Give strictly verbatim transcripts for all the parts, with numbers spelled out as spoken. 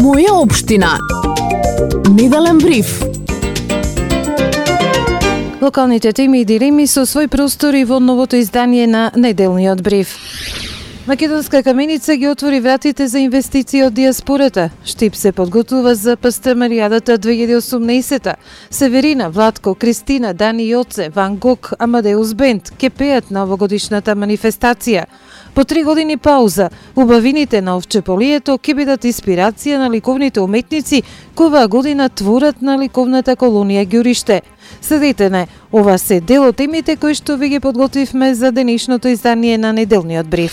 Моја општина. Неделен бриф. Локалните теми и дилеми со свој простори во новото издание на неделниот бриф. Македонска каменица ги отвори вратите за инвестиции од диаспората. Штип се подготува за Пастемаријадата две илјади и осумнаесета. Северина, Владко, Кристина, Дани Јоце, Ван Гог, Амадеус Бенд ке пеат на овогодишната манифестација. По три години пауза, убавините на Овчеполието ќе бидат инспирација на ликовните уметници кои оваа година творат на ликовната колонија Ѓуриште. Следете не, ова се дел од темите кои што ви ги подготвивме за денешното издание на неделниот бриф.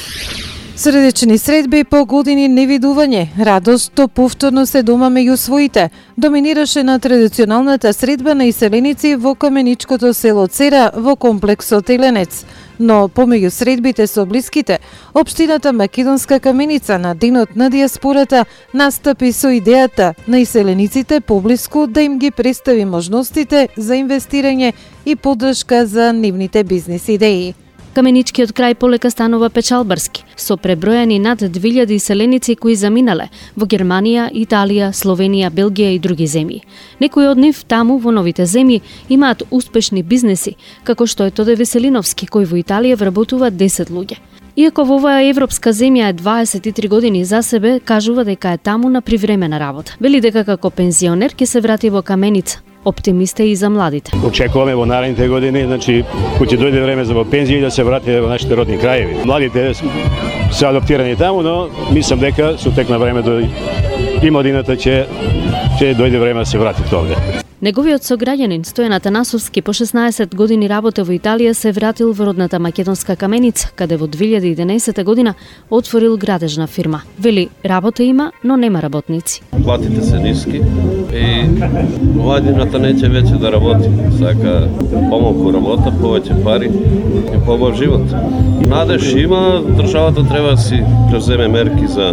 Средечни средби по години невидување, радост то повторно се дома меѓу своите, доминираше на традиционалната средба на иселеници во каменичкото село Цера во комплексот Еленец. Но помеѓу средбите со блиските, општината Македонска каменица на денот на диаспората настапи со идејата на иселениците поблиску да им ги представи можностите за инвестирање и поддршка за нивните бизнис идеи. Каменичкиот крај полека станува печалбарски, со пребројани над две илјади иселеници кои заминале во Германија, Италија, Словенија, Белгија и други земји. Некои од нив таму во новите земји имаат успешни бизнеси, како што е Тоде Веселиновски, кој во Италија вработува десет луѓе. Иако во оваа европска земја е дваесет и три години за себе, кажува дека е таму на привремена работа. Вели дека како пензионер ќе се врати во Каменица. Оптимист е и за младите. Очекуваме во наредните години, значи, кој ќе дојде време за во пензија и да се врати во нашите родни краеви. Младите се адаптирани таму, но мислам дека со тек на времето и младината ќе ќе дојде време да се врати овде. Неговиот сограѓанин Стојан Атанасовски по шеснаесет години работа во Италија се вратил во родната Македонска каменица, каде во две илјади и единаесета година отворил градежна фирма. Вели, работа има, но нема работници. Платите се ниски и младината неќе веќе да работи. Сака помалку работа, повеќе пари и побав живот. Надеж има, државата треба да си преземе мерки за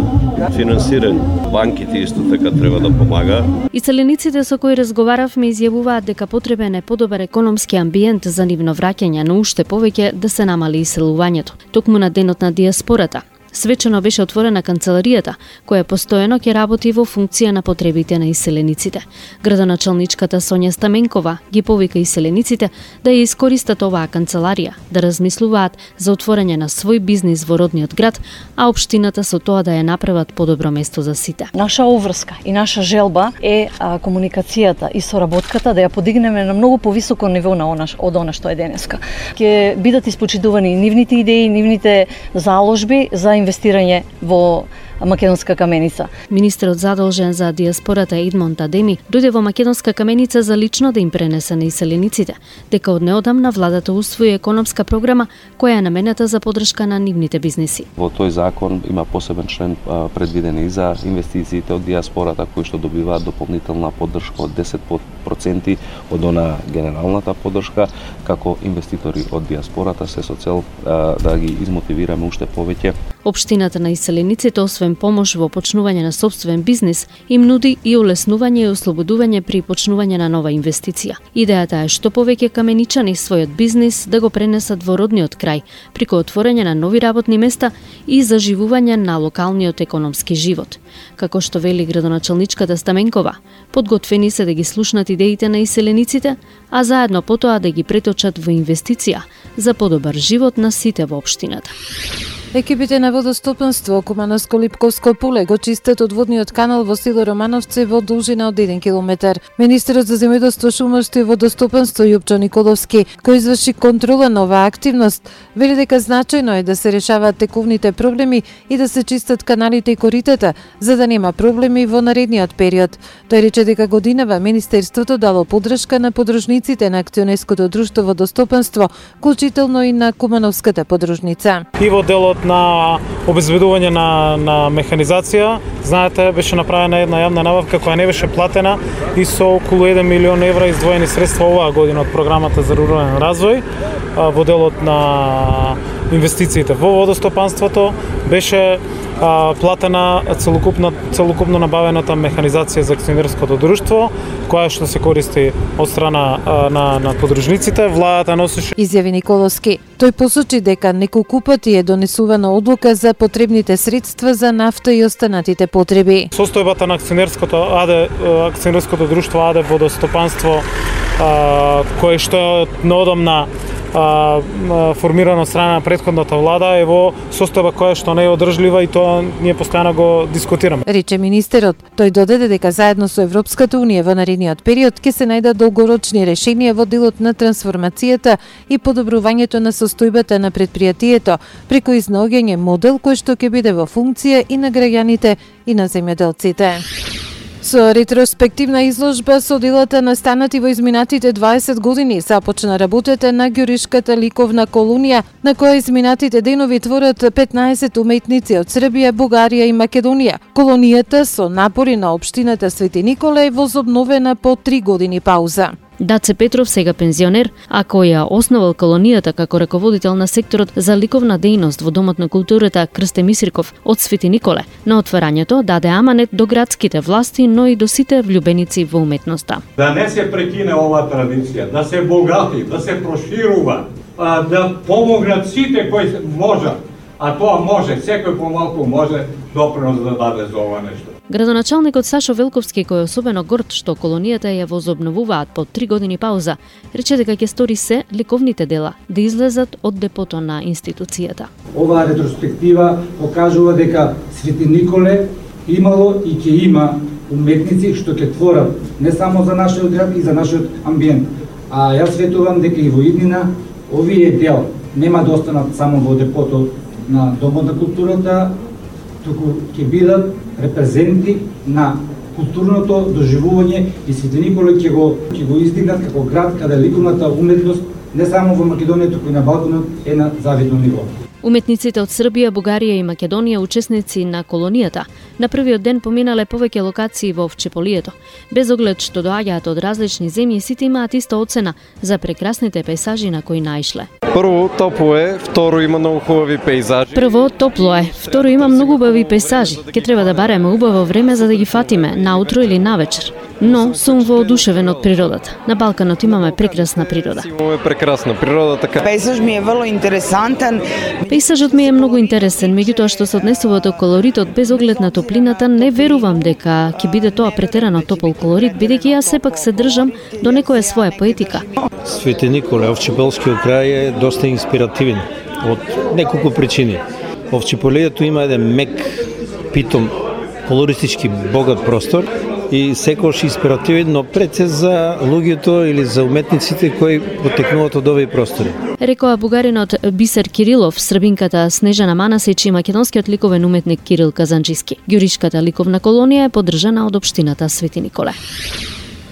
финансирање. Банките исто така треба да помага. Иселениците со кои разговарав ми изјавуваат дека потребен е подобар економски амбиент за нивно враќање, но уште повеќе да се намали иселувањето. Токму на денот на диаспората свечено беше отворена канцеларијата, која постојано ќе работи во функција на потребите на иселениците. Градоначалничката Сонја Стаменкова ги повика иселениците да ја искористат оваа канцеларија, да размислуваат за отворање на свој бизнис во родниот град, а општината со тоа да ја направат подобро место за сите. Наша обврска и наша желба е а, комуникацијата и соработката да ја подигнеме на многу повисоко ниво на она, од она што е денеска. Ќе бидат испочитувани нивните идеи, нивните заложби за инвестирање во Македонска каменица. Министерот задолжен за диаспората Едмонд Адеми дојде во Македонска каменица за лично да им пренесе на иселениците дека од неодамна владата усвои економска програма која е наменета за поддршка на нивните бизнеси. Во тој закон има посебен член предвиден и за инвестициите од диаспората кои што добиваат дополнителна поддршка од десет проценти од она генералната поддршка, како инвеститори од диаспората се со цел да ги измотивираме уште повеќе. Општината на иселениците освен помош во почнување на сопствен бизнис, им нуди и олеснување и ослободување при почнување на нова инвестиција. Идејата е што повеќе каменичани својот бизнис да го пренесат во родниот крај, преку отворање на нови работни места и заживување на локалниот економски живот. Како што вели градоначалничката Стаменкова, подготвени се да ги слушнат идеите на иселениците, а заедно потоа да ги преточат во инвестиција за подобар живот на сите во општината. Екипите на водостопанство Кумановско-Липковско поле го чистат одводниот канал во село Романовци во должина од еден километар. Министерот за земјоделство, шумарство и водостопанство Јупчо Николовски, кој изврши контрола на оваа активност, вели дека значајно е да се решаваат текувните проблеми и да се чистат каналите и коритата, за да нема проблеми во наредниот период. Тој рече дека годинава Министерството дало поддршка на подружниците на акционерското друштво водостопанство, вклучително и на Кумановската подружница. И во делот на обезбедување на, на механизација, знаете, беше направена една јавна набавка која не беше платена и со околу еден милион евра издвоени средства оваа година од програмата за рурален развој во делот на инвестициите во водостопанството беше а, платена целокупно целокупно набавената механизација за акционерското друштво, која што се користи од страна а, на на подружниците. Владата носеше. Изјави Николовски. Тој посочи дека неколку пати е донесувана одлука за потребните средства за нафта и останатите потреби. Состојбата на акционерското АД акционерското друштво АД водостопанство, а, кое што е наодамна а, формирано од страна на претходната влада, е во состојба која што не е одржлива и тоа ние постојано го дискутираме. Рече министерот. Тој додаде дека заедно со Европската унија во наредниот период ќе се најдат долгорочни решенија во делот на трансформацијата и подобрувањето на состојбата на претпријатието преку изнаоѓање модел кој што ќе биде во функција и на граѓаните и на земјоделците. Со ретроспективна изложба со делата настанати во изминатите дваесет години започна работата на Ѓуришката ликовна колонија, на која изминатите денови творат петнаесет уметници од Србија, Бугарија и Македонија. Колонијата со напори на општината Свети Николе е возобновена по три години пауза. Даце Петров, сега пензионер, а кој ја основал колонијата како раководител на секторот за ликовна дејност во Домот на културата Крсте Мисирков од Свети Николе, на отварањето даде аманет до градските власти, но и до сите влюбеници во уметноста. Да не се прекине оваа традиција, да се богати, да се проширува, да помогнат сите кои можат, а тоа може, секој помалку може допринос да даде за ова нешто. Градоначалникот Сашо Велковски, кој е особено горд што колонијата ја возобновуваат по три години пауза, рече дека ќе стори се ликовните дела да излезат од депото на институцијата. Оваа ретроспектива покажува дека Свети Николе имало и ќе има уметници што ќе творат не само за нашиот град и за нашиот амбиент, а јас светувам дека и во иднина овие дела нема да останат само во депото на Домот на културата, туку ќе бидат репрезенти на културното доживување и Свети Николе ќе го ќе го издигнат како град каде ликовната уметност не само во Македонија, туку и на Балканот е на завидно ниво. Уметниците од Србија, Бугарија и Македонија, учесници на колонијата, на првиот ден поминале повеќе локации во Овчеполието. Без оглед што доаѓаат од различни земји, сите имаат иста оцена за прекрасните пејзажи на кои наишле. Прво, топло е, второ, има многу хубави пејзажи. Прво, топло е, второ, има многу убави пејзажи. Ке треба да бареме убаво време за да ги фатиме, наутро или навечер. Но сум воодушевен од природата. На Балканот имаме прекрасна природа. Имаме прекрасна природа, така. Пејзаж ми е врло интересантен. Пејзажот ми е многу интересен, меѓутоа што се однесува до колоритот без оглед на топлината, не верувам дека ќе биде тоа претерано топол колорит, бидејќи јас сепак се држам до некоја своја поетика. Свети Николе, Овчеполскиот крај е доста инспиративен од неколку причини. Овчеполието има еден мек, питом, колористички богат простор и секојаш инспиративен, но пред се за луѓето или за уметниците кои потекнуваат од овие простори. Рекоа бугаринот Бисер Кирилов, србинката Снежана Манасич и македонскиот ликовен уметник Кирил Казанчиски. Ѓуришката ликовна колонија е поддржана од општината Свети Николе.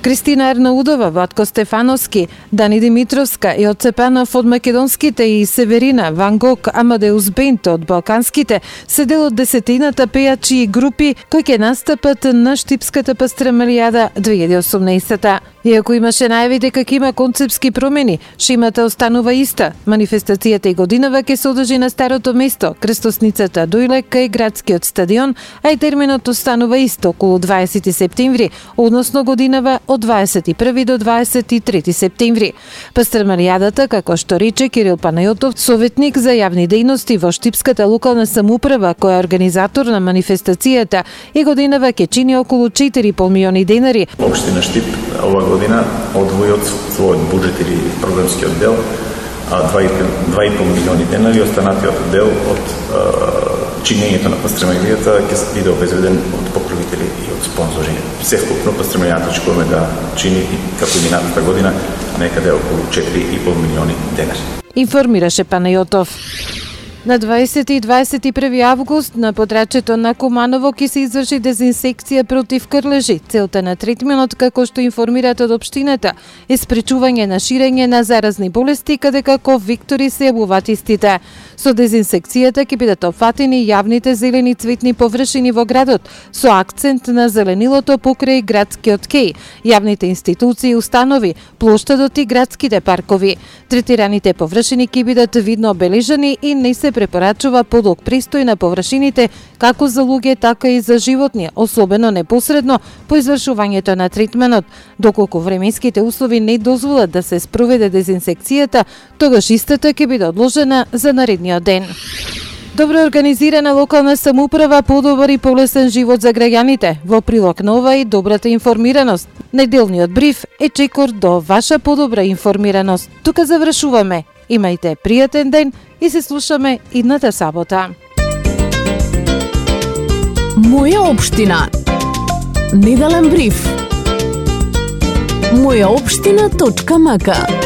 Кристина Ернаудова, Владко Стефановски, Дани Димитровска и од Цепанов од македонските и Северина, Ван Гог, Амадеус Бент од балканските се дел од десетината пејачи и групи кои ќе настапат на Штипската пастрамалијада две илјади и осумнаесета. Иако имаше најави дека ќе има концепски промени, шемата останува иста. Манифестацијата и годинава ќе се одржи на старото место, крстосницата Дујле кај градскиот стадион, а и терминот останува исто околу дваесети септември, односно годинава од дваесет и први до дваесет и трети септември. Пастрамалијадата, како што рече Кирил Панајотов, советник за јавни дејности во Штипската локална самоуправа, која е организатор на манифестацијата, и годинава ќе чини околу четири и пол милиони денари. Општина Штип ова година одвои од својот буџет или програмскиот дел два и пол милиони денари, останатиот дел од чинењето на пастрамалијата ќе биде обезбеден од покровители и од спонзори. Севкупно пастрамалијата очекуваме да чини како и минатата година некаде околу четири и пол милиони денари. Информираше Панајотов. На дваесети и дваесет и први август на подрачето на Куманово ќе се изврши дезинсекција против крлежи. Целта на третменот, како што информираат од општината, е спречување на ширење на заразни болести, каде како виктори се јавуваат истите. Со дезинсекцијата ќе бидат опфатени јавните зелени цветни површини во градот, со акцент на зеленилото покрај градскиот кеј, јавните институции и установи, плоштадот и градските паркови. Третираните површини ќе бидат видно обележани и не се препорачува подлог престој на површините како за луѓе, така и за животни, особено непосредно по извршувањето на третменот. Доколку временските услови не дозволат да се спроведе дезинсекцијата, тогаш истата ќе биде одложена за наредниот ден. Добро организирана локална самоуправа, подобар и полесен живот за граѓаните. Во прилог на ова и добрата информираност. Неделниот бриф е чекор до ваша подобра информираност. Тука завршуваме. Имајте пријатен ден и се слушаме идната сабота. Моја општина. Неделен бриф. моја општина точка мака